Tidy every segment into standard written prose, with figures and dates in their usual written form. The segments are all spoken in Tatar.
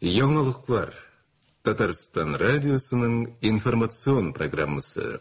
Яңалыклар. Татарстан радиосының информацион программасы.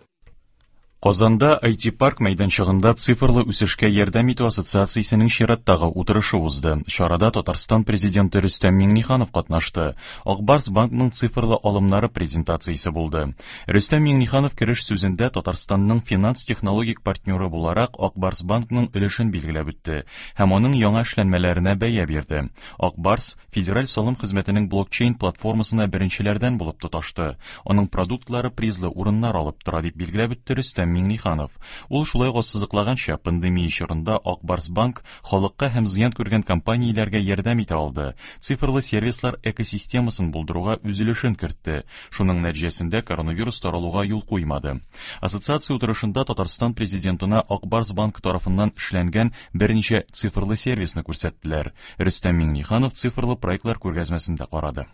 Казанда IT-парк мәйданчыгында цифрлы үсешкә ярдәм итү ассоциациясенең чираттагы утырышы узды. Чарада Татарстан президенты Рөстәм Миңнеханов катнашты. Ак Барс банкның цифрлы алымнары презентациясе булды. Рөстәм Миңнеханов кереш сүзендә Татарстанның финанс-технологик партнеры буларак Ак Барс банкның өлешен билгеләп үтте һәм аның яңа эшләнмәләренә бәя бирде. Ак Барс Федераль салым хезмәтенең блокчейн платформасына беренчеләрдән булып тоташты. Аның продуктлары призлы урыннар алып тора, дип билгеләп үтте Рөстәм Миңнеханов. Ул шулай ук ассызыклаганча, пандемия чорында Ак Барс Банк халыкка һәм зыян күргән компанияләргә ярдәм итә алды, цифрлы сервислар экосистемасын булдыруга үз өлешен кертте, шуның нәтиҗәсендә коронавирус таралуга юл куймады. Ассоциация утырышында Татарстан Президентына Ак Барс Банк тарафыннан эшләнгән берничә цифрлы сервисны күрсәттеләр. Рөстәм Миңнеханов цифрлы проектлар күргәзмәсен дә карады.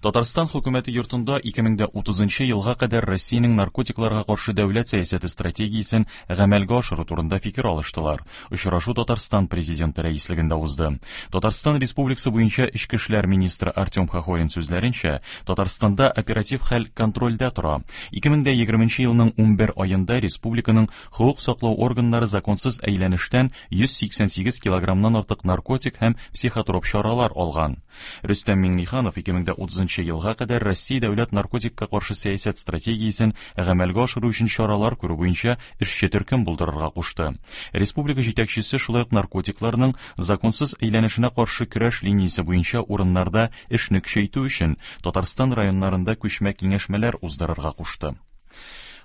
Татарстан хөкүмәте йортында 2030 елга кадәр Россиянең наркотикларга каршы дәүләт сәясәте стратегиясен гамәлгә ашыру турында фикер алыштылар. Очрашу Татарстан президенты рәислегендә узды. Татарстан Республикасы буенча эчке эшләр министры Артем Хохорин сүзләренчә, Татарстанда оператив хәл контрольдә тора. 2020 елның 11 аенда республиканың хокук саклау органнары законсыз әйләнештән 188 килограммнан артык наркотик һәм психотроп чаралар алган. Рөстәм Миңнеханов 2030 елга кадәр Россия дәүләт наркотикка каршы сәясәт стратегиясен гамәлгә ашыру өчен чаралар күрү буенча эшче төркем булдырырга кушты. Республика җитәкчесе шулай ук наркотикларның законсыз әйләнешенә каршы көрәш линиясе буенча урыннарда эшне көчәйтү өчен Татарстан районнарында күчмә киңәшмәләр уздырырга кушты.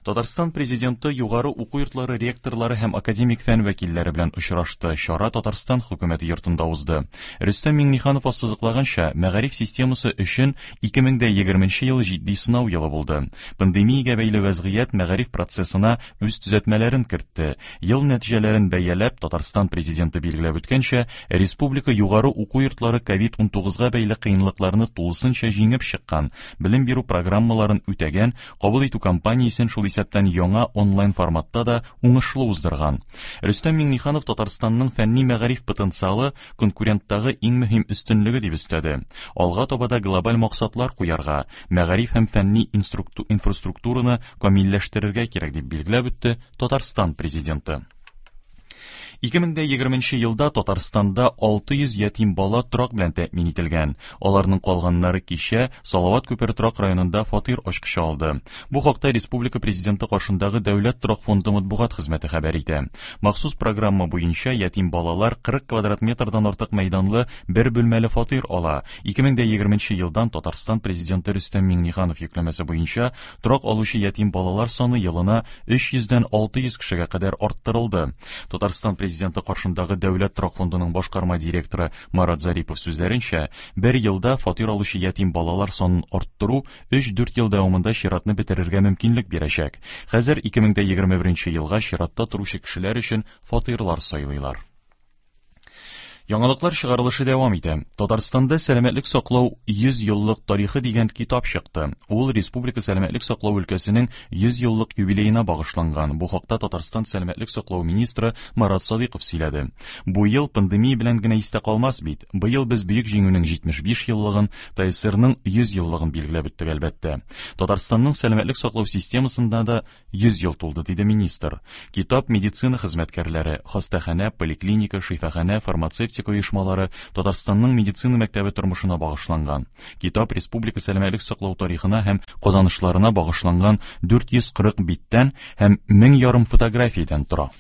Татарстан Президенты югары уку йортлары ректорлары һәм академик фән вәкилләре белән очрашты. Чара Татарстан хөкүмәте йортында узды. Рөстәм Миңнеханов ассызыклаганча, мәгариф системасы өчен 2020 ел җитди сынау елы булды. Пандемиягә бәйле вәзгыять мәгариф процессына үз төзәтмәләрен кертте. Ел нәтиҗәләрен бәяләп, Татарстан Президенты билгеләп үткәнчә, республика югары уку йортлары ковид-19 га бәйле кыенлыкларны тулысынча җиңеп чыккан, белем бирү программаларын үтәгән, кабул итү кампаниясен шул исәптән яңа онлайн форматта да уңышлы уздырган. Рөстәм Миңнеханов Татарстанның фәнни мәгариф потенциалы конкуренттагы иң мөһим өстенлеге дип өстәде. Алга таба да глобаль максатлар куярга, мәгариф һәм фәнни инфраструктураны камилләштерергә кирәк дип билгеләп үтте Татарстан Президенты. 2020 елда Татарстанда 600 ятим бала торак белән тәэмин ителгән. Аларның калганнары кичә Салават күпере торак районында фатир ачкычы алды. Бу хакта республика президенты каршындагы Дәүләт торак фонды матбугат хезмәте хәбәр итә. Махсус программа буенча ятим балалар 40 квадрат метрдан артык мәйданлы бер бүлмәле фатир ала. 2020 елдан Татарстан президенты Рөстәм Миңнеханов йөкләмәсе буенча торак алучы ятим балалар саны елына 300 дән 600 кешегә кадәр арттырылды. Татарстан Президенты каршындагы Дәүләт торак фондының башкарма директоры Марат Зарипов сүзләренчә, бер елда фатир алучы ятим балалар санын арттыру 3-4 ел дәвамында чиратны бетерергә мөмкинлек бирәчәк. Хәзер 2021 елга чиратта торучы кешеләр өчен фатирлар сайлыйлар. Яңалыклар чыгарылышы дәвам итә. Татарстанда сәламәтлек саклау 100 еллык тарихы дигән китап чыкты. Ул республика сәламәтлек саклау өлкәсенең 100 еллык юбилеена багышланган. Бу хакта Татарстан сәламәтлек саклау министры Марат Садыйков сөйләде. Бу ел пандемия белән генә истә калмас бит. Быел без Бөек Җиңүнең 75 еллыгын, ТСРның 100 еллыгын билгеләп үттек, әлбәттә. Татарстанның сәламәтлек саклау системасында да 100 ел тулды, диде министр. Китап медицина хезмәткәрләре, хастаханә, поликлиника, шифаханә, фармацевтика оешмалары, Татарстанның медицина мәктәбе тормышына багышланган. Китап республика сәламәтлек саклау тарихына һәм казанышларына багышланган 440 биттән һәм 1500 фотографиядән тора.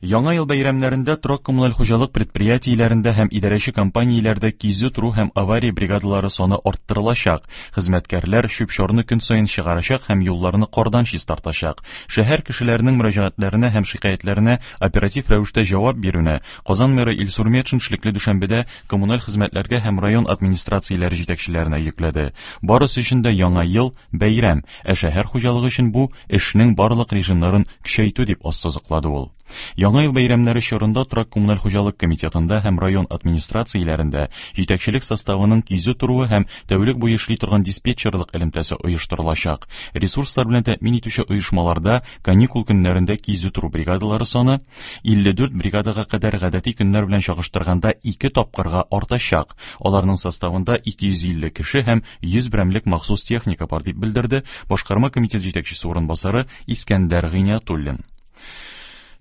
Яңа ел бәйрәмнәрендә торак-коммуналь хуҗалык предприятиеләрендә һәм идарәче компанияләрдә кизү тору һәм авария бригадалары саны арттырылачак. Хезмәткәрләр чүп-чарны көн саен чыгарачак һәм юлларны кардан чистартачак. Шәһәр кешеләренең мөрәҗәгатьләренә һәм шикаятьләренә оператив рәвештә җавап бирүне Казан мэры Илсур Метшин эшлекле дүшәмбедә коммуналь хезмәтләргә һәм район администрацияләре җитәкчеләренә йөкләде. Барысы өчен дә Яңа ел, бәйрәм, ә шәһәр хуҗалыгы өчен бу, эшнең барлык режимнарын көчәйтү, дип ассызыклады ул. Яңа ел бәйрәмнәре чорында торак-коммуналь хуҗалык комитетында һәм район администрацияләрендә җитәкчелек составының кизү торуы һәм тәүлек буе эшли торган диспетчерлык элемтәсе оештырылачак. Ресурслар белән тәэмин итүче оешмаларда каникул көннәрендә кизү тору бригадалары саны 54 бригадага кадәр гадәти көннәр белән чагыштырганда ике тапкырга артачак. Аларның составында 250 кеше һәм 100 берәмлек махсус техника бар, дип белдерде Башкарма комитет җитәкчесе урынбасары Искәндәр Гыйниятуллин.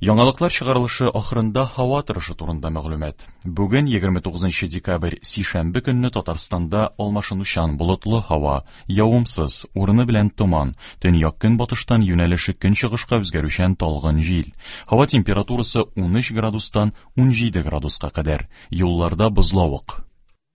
Яңалыклар чыгарылышы ахырында һава торышы турында мәгълүмат. Бүген 29 декабрь, сишәмбе көнне Татарстанда алмашынучан болытлы һава, явымсыз, урыны белән томан, төньяк-көнбатыштан юнәлеше көнчыгышка үзгәрүчән талгын җил. Һава температурасы 13 градустан 17 градуска кадәр. Юлларда бозлавык.